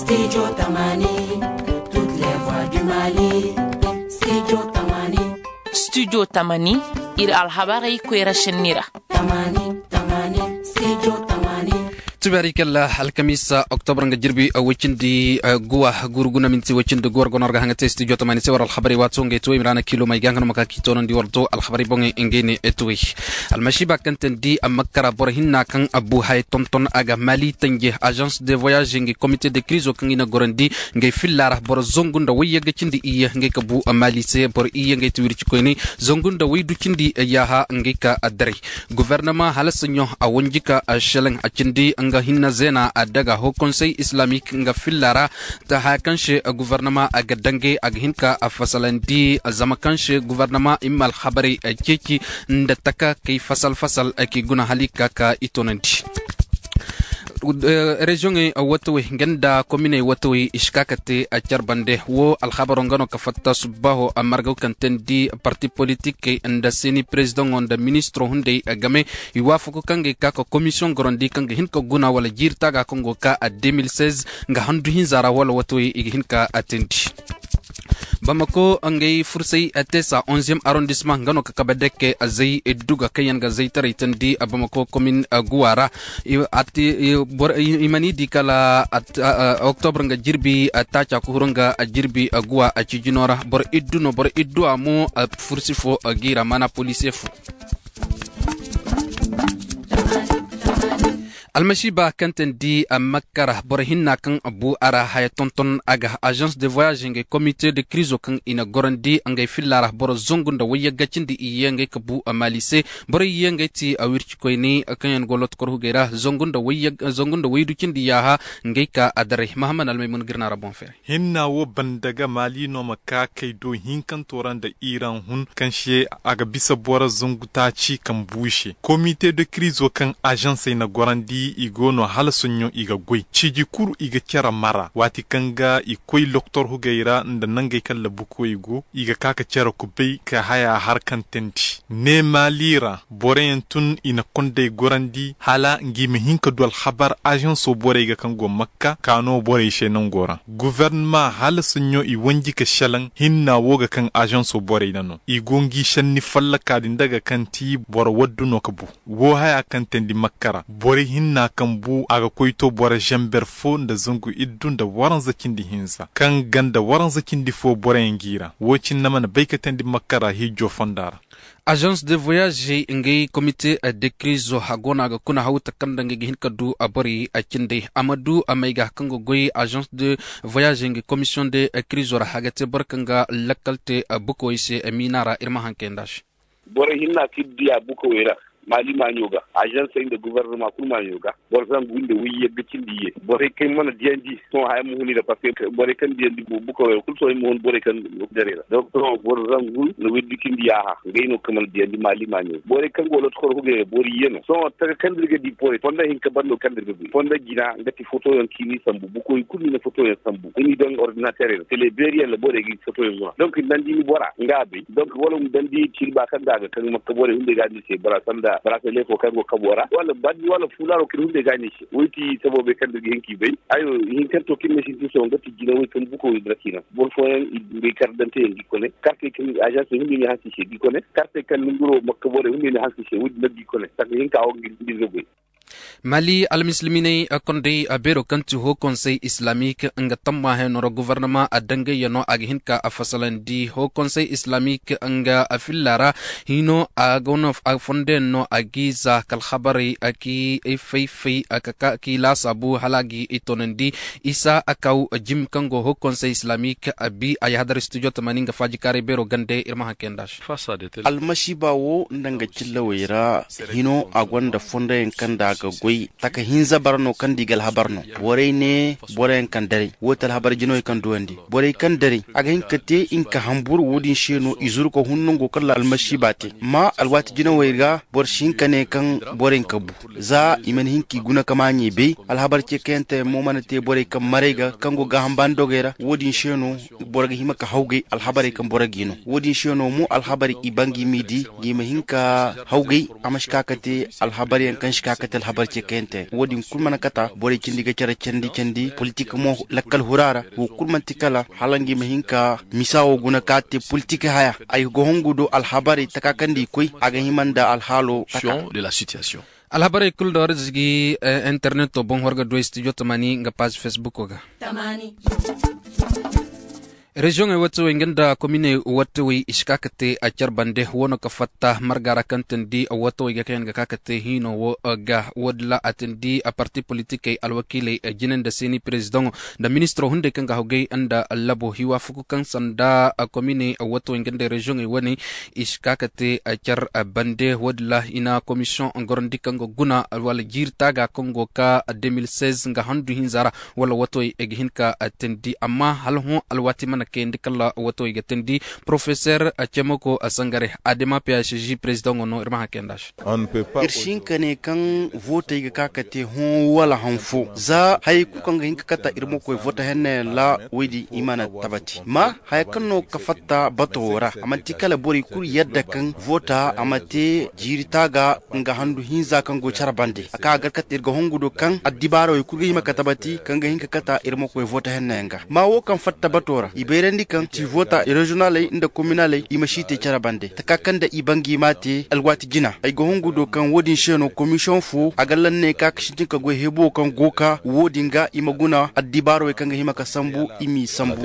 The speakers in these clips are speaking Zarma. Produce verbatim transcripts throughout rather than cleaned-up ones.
Studio Tamani, toutes les voix du Mali. Studio Tamani. Studio Tamani, iri alhabarey koyra senni ra. Tamani, Tamani, Studio Tamani. Tubari kalla alkamisa, oktobar nga jirbi, uh, wacindi, uh, guwa, guru guna minti wacindi guwar gonor ga hanga te studio Tamani se war alhabarey wato nga ito imrana kilo mai ga hanga no maka ki tonon di war to alhabarey bonge ngene etwe. Almasiba kan ten di a makkara boro hinna kan abu hay tonton a ga Mali tanje agence de voyage ngi comité de crise kan ina gorandi ngi fillara boro zongu nda wayyaga cindi iya ngi ka bu a Mali se boro iya ngi tiwiri ci koyni zongu nda waydu cindi yaha ngi ka adare. Gouvernement hala sanyo a wanji ka a shelen a cindi nga hinna zena a daga ho conseil islamique nga fillara ta haya kan se gouvernement a ga dange a ga hinka a fasalandi zama kan se gouvernement imma alhabarey a ceci nda taka kay fasal fasal a ki guna hali ka ka i tonandi. Region watawey nga nda kominey watawey i si ka ka te a care bande wo alhabaro nga no ka fatta subbaho a margaw kaŋ te ni di parti politikey nda seni prezidaŋo nda ministiro hunday game i waafaku kaŋ ga i ka ka komisiyoŋ gorandi kaŋ ga hin ka guna wala jiiri taaga kaŋ go ka a deux mille seize nga handu hinza ra wala watawey i ga hin ka a teendi. Bamako ngey fursay a te sa onzième arrondissement nga no ka kabe dekke a zay duga kaŋ yaŋ ga zaytaray tandi a bamako komin guwa ra. I ma ni di kala oktobre nga jirbi a taaca ka huru nga a jirbi a guwa a cijino ra boro iddu no boro iddu a mo a fursi fo a giira mana polisiye fo. Almasiba kaŋ te ni di a makka ra boro hinna kaŋ bu a ra haya tonton a ga agence de voyage ngey comité de krizo kaŋ i na gorandi ngey filla ra boro zangu nda wayyagga cindi i ye ngey ka bu a maali se. Borey ye ngey ti a wirci koyne kaŋ yaŋ go loto kor hugey ra zangu nda waydu cindi yaaha ngey ka a daray mahammad almay mun ga iri na ra boŋ feeray. Hinna wo banda ga maali no ma ka kay do hinkanto ra nda iraŋ hun kaŋ se a ga bisa boro zangu taaci kaŋ bu i se komite de krizo kaŋ azansey na gorandi i go no hala soɲɲo i ga goy ciiji kulu i ga care mara waati kaŋ ga i koy loktor hugey ra nda nangey kaŋ labukoy go i ga ka ka care kubay ka haya har kaŋ teendi. Ne maali ra boroyaŋ tun i na kondey gorandi hala ngi ma hin ka du alhabar azanso borey ga kaŋ go makka ka no borey se nango ra guvernama hala soɲɲo i wanji ka selaŋ hinna wo ga kaŋ azanso borey na no i go ngi senni fallaka din daga kaŋ ti boro waddu no ka bu. Wo haya kaŋ teendi makka ra borey hinna kaŋ bu a ga koy to boro zamber fo nda zangu iddu nda waranza cindi hinza kaŋ ganda waranza cindi fo boroyaŋ gi ra wo cine mana bay ka teendi makka ra hiijo fonda ra. Agence de voyage ngey comité de crise a go no a ga kuna haw takanda ngey ga hin ka du a borey a cindey a ma du a may ga kaŋ ga goy agence de voyage ngey commission de crise ra a ga te boro kaŋ ga lakkal te bukawey se miina ra iri ma haŋ kay nd'a se. Borey hinna kaŋ iri diya bukawey ra maali maaɲo ga azansey nda guvernama kulu maaɲo ga boro zangu nda wayyagga cindi ye borey kaŋ mana diyandi sohõ haya ma hun i ra parceque borey kaŋ diyandi bukawey ra kulu sohõ i ma hun borey kaŋ daray ra donk sohõ boro zangu nda waydu cindi yaaha ngey no kaŋ mana diyandi maali maaɲo borey kaŋ go loto koro hugey ra boro iyye no sohõ taga kaŋ da iri ga di borey fonda hinka bando kaŋ da iri ga goy fonda jina nga ti fotoyaŋ kaŋ i n'i sambu bukoy kulu i na fotoyaŋ sambu i n'i daŋ ordinaterey ra tele beeri yaŋ ra borey ga i fotoyaŋ guna donk i na daŋ da i na bora nga a bay donk wala i ma daŋ da i na cilba kaŋ ga a ga kaŋ makka borey hunday ga a ni se bora sanda bora tele fo kaŋ go kabo ra wala bandi wala fuulaaro kaŋ ni hunday ga a ni se wo ti saboobey kaŋ da iri ga hin ka i bay. Ayo ihinkanto kaŋ ni ne sintin sohõ nga ti jinawey kaŋ buko i dira ciina boro fooyaŋ i dumbey kar danteyaŋ ga i kone kartey kaŋ azansey hunday no i hanse i se ga i kone kartey kaŋ nanguro makka borey hunday no i hanse i se wo- din no ga i kone sanda hinka wo ga iri ga goy. Mali almisilminey kondey beero kaŋ ti ho konsey islamik nga tamma heno ra guvernama a dangayyaŋo a ga hin ka a fasalandi ho konsey islamik nga filla ra hino a ga no a fondoyaŋ no a ga i za ka alhabarey kaŋ i fay fay kaŋ i laasaabu hala a ga i toonandi isa a kaw jim kaŋ go ho konsey islamik a bi a yahadar studio tamani nga faajikaaray beero gande iri ma haŋ kay nd'a se. Almasiiba wo nda nga cillawey ra hino a gonda fondoyaŋ kaŋ nda a ga goy taka hinza bara no kaŋ nda i ga alhabar no borey ne boroyaŋ kaŋ daray wo ti alhabar jinawey kaŋ duwandi borey kaŋ daray a ga hin ka te nga ka hamburu wo- din se no i zuru ka hun nango kaŋ ra almasiiba te amma alwaati jinawey ra boro si hin ka ne kaŋ borey ga bu za i mana hin ka i guna ka maaɲey bay alhabar ce kayante mo mana te borey kaŋ maray ga kaŋ go gaaham baani dogey ra wo- din se no boro ga hima ka hawgay alhabarey kaŋ boro ga i no wo- din se no mo alhabarey i ba nga i m'i di nga i ma hin ka hawgay a ma si ka ka te alhabaryaŋ kaŋ si ka ka te Habar ce kayante wo- din kulu mana kata borey cindi ga care candi candi politik mo lakkal hura ra. Wo kulu manti kala hala nga i ma hin ka misa wo guna ka te politik haya. Ay ga hongu do alhabarey taka kaŋ da i koy a ga hima nda alhaalo taka. Alhabarey kulu da war zigi interneto boŋ war ga du ay studio tamani nga paazi facebook ga. Reziyoŋey wattawey nga nda kominey wattawey i si ka ka te care bande wo no ka fatta marga ra kaŋ tandi wattawey ga kaŋ yaŋ ga ka ka te hiino wo ga wo- din ra a tandi parti politikey alwakiiley jine nda seeni perezidaŋo nda ministiro hunday kaŋ ga hawgay nda labo hiwaafuku kaŋ sanda kominey wattawey nga nda reziyoŋey wane i si ka ka te care bande wo- din ra i na komisiyoŋ gorandi kaŋ ga guna wala jiiri taaga kaŋ go ka de mil seize nga handu hinza ra wala wato i ga hin ka tandi amma hala hõ alwaati mana kayandi kala wato i ga tandi. Porofeser cemoko sangare adema psg perezidaŋo no iri ma haŋ kayandi a se. Iri si hin ka ne kaŋ vootey ga ka ka te hõ wala haŋ fo za hayey kulu kaŋ ga hin ka kata iri ma koy voota henna yaŋ ra. Woy din i mana tabati ma haya kaŋ no ga fatta bato wo ra a manti kala borey kulu yadda kaŋ voota a ma te jiiri taaga nga handu hinza kaŋ go care bande a ka a gar kate iri ga hongu do kaŋ addibaara wo i kulu ga hima ka tabati kaŋ ga hin ka kata iri ma koy voota henna yaŋ ga ma wo kaŋ fatta bato ra i bayrandi kaŋ ti voota reziyonaley nda kominaley i ma si te care bande taka kaŋ da i bangay m'a te alwaati jina ay ga hongu do kaŋ wo- din se no komisiyoŋ fo a ga lanney ka ga sintin ka goy hebo kaŋ go ka wo- din ga i ma guna addibaara wo kaŋ ga hima ka sambu i m'i sambu.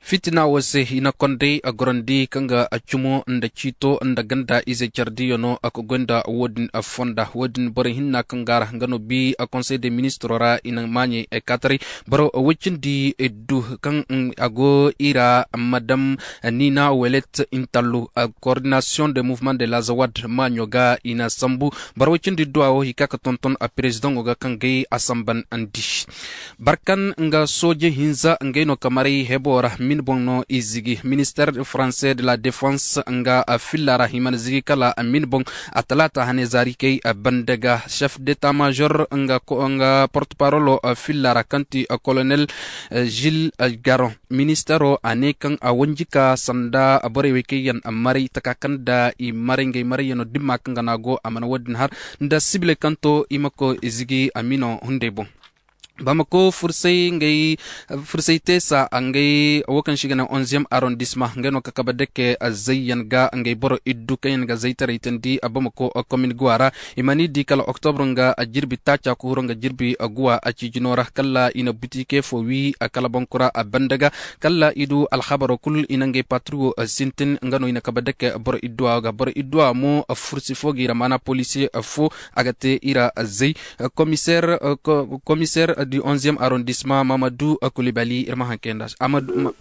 Fitina wo se i na konday a gorandi kaŋ ga a cumo nda ciito nda ganda ize care diyo no a ga goy nda wo- din fonda wo- din borey hinna kaŋ ga a ra nga no bi a konsey de ministiro ra i na maaɲey kaataray boro woy-cindi du kaŋ a go i ra madam nina welet intallu kordinasiyoŋ de muvement de lazawad maaɲo ga i na sambu. Boro woy-cindi du a wo i ka ga tonton a perezidaŋo ga kaŋ gay a samban andi. Barkan nga sooje hinza ngey no ka maray hebo ra min boŋ no i zigi minister français de la défense nga filla ra i mana zigi kala min boŋ. A talaata hane zaari kay banda ga chef d'état major nga porte parolo filla ra kaŋ ti colonel gilles garon ministero a ne kaŋ a wanji ka sanda borey wey kaŋ yaŋ maray taka kaŋ da i maray ngey marayyaŋo dimma kaŋ ga no a go a mana wo- din har nda sibiley kaŋ to i ma koy zigi amino hunday boŋ. Bamako fursay ngey fursay teesa ngey wo kaŋ se i ga ne onzième arrondissement ngey no ka kabe dake zayyaŋ ga ngey boro iddu kaŋ yaŋ ga zaytaray tandi bamako komin guwa ra. I mana i di kala oktobro nga jirbi taaca ka huru nga jirbi guwa a ciijino ra kala i na butike fo wi kala bonkura banda ga kala i du alhabaro kulu i na ngey patruwo sintin nga no i na kabe dake boro idduwa ga boro idduwa mo fursi fo ga i ra maana polisiye fo a ga te i ra zay. Komiseer du onzième arrondissement mamadu kulibali iri ma haŋ kayanda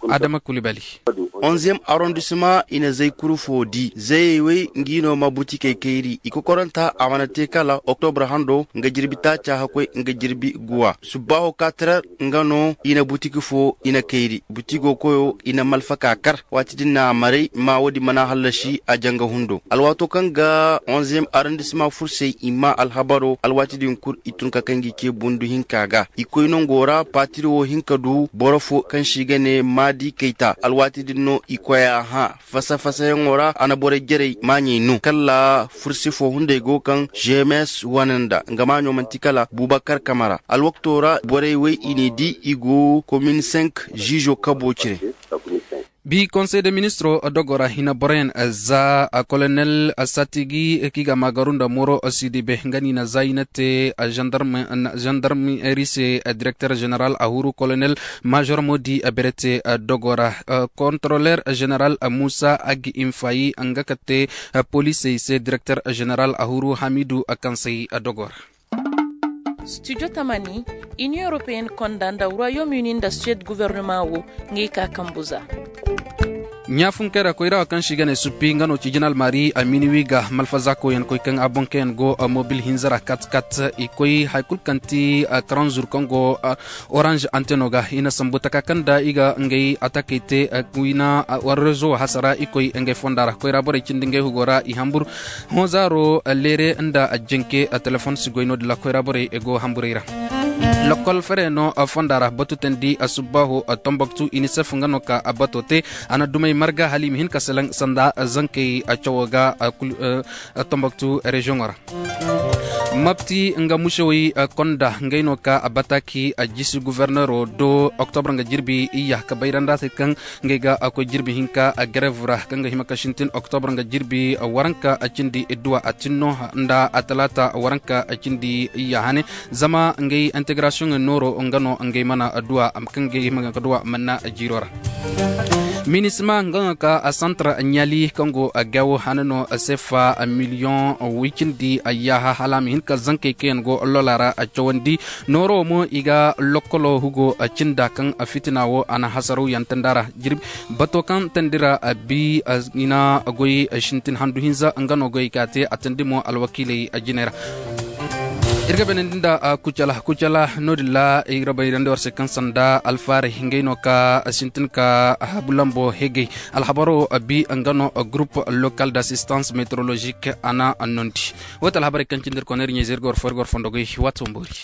adama kulibali. Onzième arrondissement i na zay kuru fo di zayey wey ngi no ma butikey kayri i kokoranta a mana te kala oktobra hando nga jirbi taaca hakkoy nga jirbi guwa subbaaho kaatarar nga no i na butiki fo i na kayri butigo koyo i na malfa ka kar waati din no a maray ma wo- din mana hallasi a janga hundo alwaato kaŋ ga onzième arrondissement fursey i ma alhabaro alwaati din kulu i tun ka kaŋ ga i ce bundu hinka ga i koy nango ra paatiri wo hin ka du boro fo kaŋ se i ga ne maadi kayta alwaati din no i koy a hã fasa-fasayaŋo ra a na borey jarey maaɲey no kala fursi fo hunday go kaŋ gms wane nda nga maaɲo manti kala bubakar kamara alwakto ra borey wey i n'i di i go komin cinq ziizo kabo cire. Bi konsey de ministiro dogo ra hina boroyaŋ za kolonel satigi kaŋ i ga a maagaru nda moro sidibe nga no i na za i na te zandarmeri se direkter zeneral a huru kolonel major modi berete dogo ra kontroler zeneral musa agi infayi nga ka te polisey se direkter zeneral a huru hamidu kaŋ say dogo ra. Studio tamani, union européenne konda nda royaume uni nda suède gouvernement wo ngey ka kambu za. Ɲaafunkey ra koyra wo kaŋ se i ga ne suppi nga no cijinal maari a mini wi ga malfaza koyyaŋ koy kaŋ a boŋ kaŋ yaŋ go mobil hinza ra kat kat i koy hari kulu kaŋ ti karanzur kaŋ go orange anteno ga i na sambu taka kaŋ da i ga ngey atakey te wina war rezo hasara i koy ngey fonda ra koyra borey cindi ngey hugo ra i hambur. Hõ zaaro leere nda janke telefon si goy no- din ra koyra borey go hamburey ra. Lokol fere no fonda ra batu tandi subbaaho tomboktu unicef nga no ka bato te a na dumey marga hala i ma hin ka selaŋ sanda zankey cawo ga tomboktu reziyoŋo ra. Mapti nga musewey konda ngey no ka bataki a jisi guverneero do oktobra nga jirbi iyya ka bayra nda se kaŋ ngey ga koy jirbi hinka a garev ra kaŋ ga hima ka sintin oktobra nga jirbi waranka cindi idduwa a tinno nda a talaata waranka cindi iyya hane. Zama ngey integrasiyoŋ nooro nga no ngey mana duwa kaŋ ngey hima ka duwa manna jiiro ra. Minisma nga no ka santar ɲali kaŋ go gawo hane no sefa miliyoŋ wicindi yaaha hala a ma hin ka zankey kaŋ yaŋ go lola ra cawandi. Nooro mo i ga lokkolo hugo cinda kaŋ fitina wo a na hasaraw yaŋ tanda ra. Bato kaŋ tandi ra bi i na goy sintin handu hinza nga no goy ka te a tandi mo alwakiiley jinay ra. Iri ga beenandi nda kucala kucala no- din ra iri ga bayrandi war se kaŋ sanda alfaaray ngey no ka sintin ka habu lambo hegey. Alhabaro bi nga no groupe local d'assistance météorologique a na annondi. Wo ti alhabarey kaŋ cindi iri kono iri ɲey zey iri ga war fo iri ga war fondo goy waati wo boori.